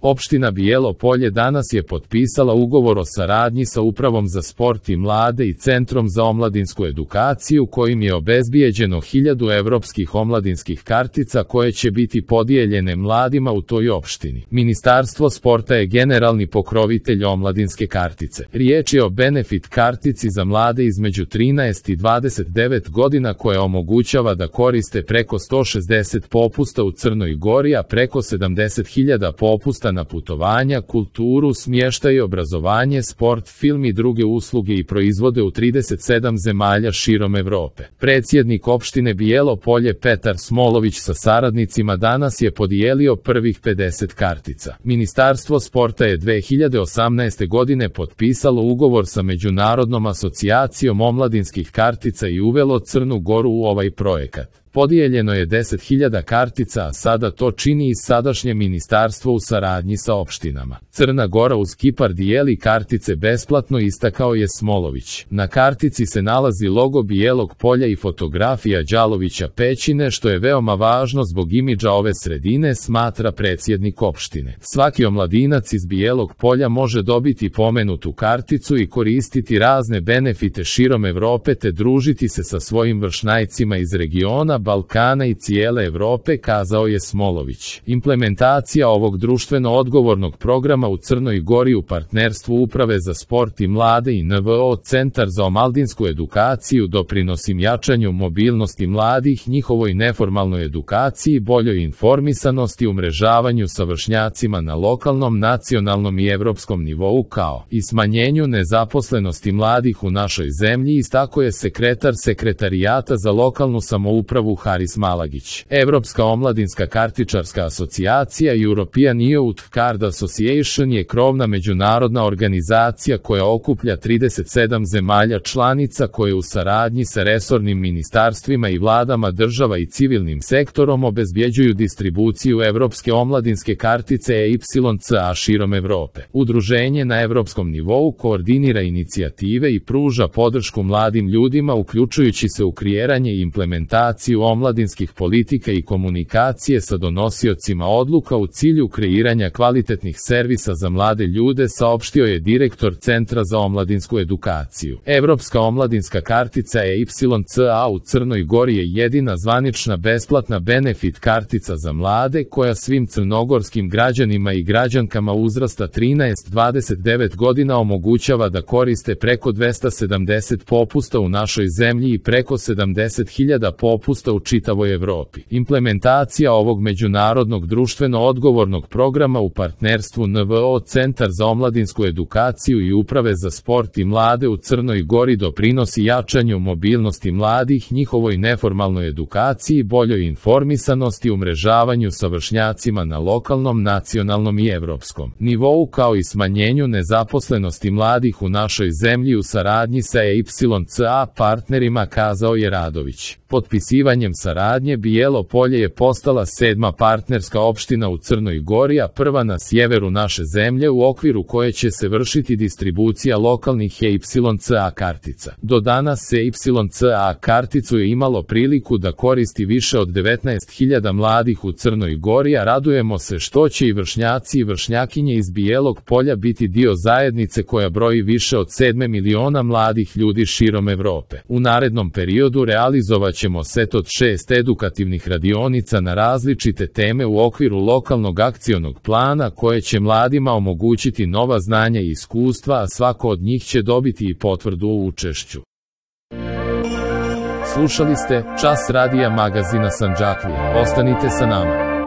Opština Bijelo Polje danas je potpisala ugovor o saradnji sa Upravom za sport i mlade i Centrom za omladinsku edukaciju kojim je obezbijeđeno 1000 evropskih omladinskih kartica koje će biti podijeljene mladima u toj opštini. Ministarstvo sporta je generalni pokrovitelj omladinske kartice. Riječ je o benefit kartici za mlade između 13 i 29 godina koja omogućava da koriste preko 160 popusta u Crnoj Gori, a preko 70.000 popusta na putovanja, kulturu, smještaj i obrazovanje, sport, film i druge usluge i proizvode u 37 zemalja širom Evrope. Predsjednik opštine Bijelo Polje Petar Smolović sa saradnicima danas je podijelio prvih 50 kartica. Ministarstvo sporta je 2018. godine potpisalo ugovor sa Međunarodnom asocijacijom omladinskih kartica i uvelo Crnu Goru u ovaj projekat. Podijeljeno je 10.000 kartica, a sada to čini i sadašnje ministarstvo u saradnji sa opštinama. Crna Gora uz Kipar dijeli kartice besplatno, istakao je Smolović. Na kartici se nalazi logo Bijelog Polja i fotografija Đalovića Pećine, što je veoma važno zbog imidža ove sredine, smatra predsjednik opštine. Svaki omladinac iz Bijelog Polja može dobiti pomenutu karticu i koristiti razne benefite širom Evrope te družiti se sa svojim vršnjacima iz regiona, Balkana i cijele Evrope, kazao je Smolović. Implementacija ovog društveno odgovornog programa u Crnoj Gori u partnerstvu Uprave za sport i mlade i NVO Centar za omladinsku edukaciju doprinosi jačanju mobilnosti mladih, njihovoj neformalnoj edukaciji, boljoj informisanosti, umrežavanju sa vršnjacima na lokalnom, nacionalnom i evropskom nivou kao i smanjenju nezaposlenosti mladih u našoj zemlji, istakao je sekretar Sekretarijata za lokalnu samoupravu Haris Malagić. Evropska omladinska kartičarska asocijacija European Youth Card Association je krovna međunarodna organizacija koja okuplja 37 zemalja članica koje u saradnji sa resornim ministarstvima i vladama država i civilnim sektorom obezbjeđuju distribuciju evropske omladinske kartice EYCA širom Evrope. Udruženje na evropskom nivou koordinira inicijative i pruža podršku mladim ljudima, uključujući se u kreiranje i implementaciju omladinskih politika i komunikacije sa donosiocima odluka u cilju kreiranja kvalitetnih servisa za mlade ljude, saopštio je direktor Centra za omladinsku edukaciju. Evropska omladinska kartica EYCA u Crnoj Gori je jedina zvanična besplatna benefit kartica za mlade koja svim crnogorskim građanima i građankama uzrasta 13-29 godina omogućava da koriste preko 270 popusta u našoj zemlji i preko 70.000 popusta u čitavoj Evropi. Implementacija ovog međunarodnog društveno odgovornog programa u partnerstvu NVO Centar za omladinsku edukaciju i Uprave za sport i mlade u Crnoj Gori doprinosi jačanju mobilnosti mladih, njihovoj neformalnoj edukaciji, boljoj informisanosti, umrežavanju sa vršnjacima na lokalnom, nacionalnom i evropskom nivou kao i smanjenju nezaposlenosti mladih u našoj zemlji u saradnji sa EYCA partnerima, kazao je Radović. Potpisivanjem saradnje Bijelo Polje je postala 7. partnerska opština u Crnoj Gori, a prva na sjeveru naše zemlje u okviru koje će se vršiti distribucija lokalnih EYCA kartica. Do danas EYCA karticu je imalo priliku da koristi više od 19.000 mladih u Crnoj Gori, a radujemo se što će i vršnjaci i vršnjakinje iz Bijelog Polja biti dio zajednice koja broji više od 7 miliona mladih ljudi širom Evrope. U narednom periodu realizovaćemo set od 6 edukativnih radionica na različite teme u okviru lokalnog akcionog plana koje će mladima omogućiti nova znanja i iskustva, a svako od njih će dobiti i potvrdu o učešću. Slušali ste Čas radija magazina Sandžaklija. Ostanite sa nama.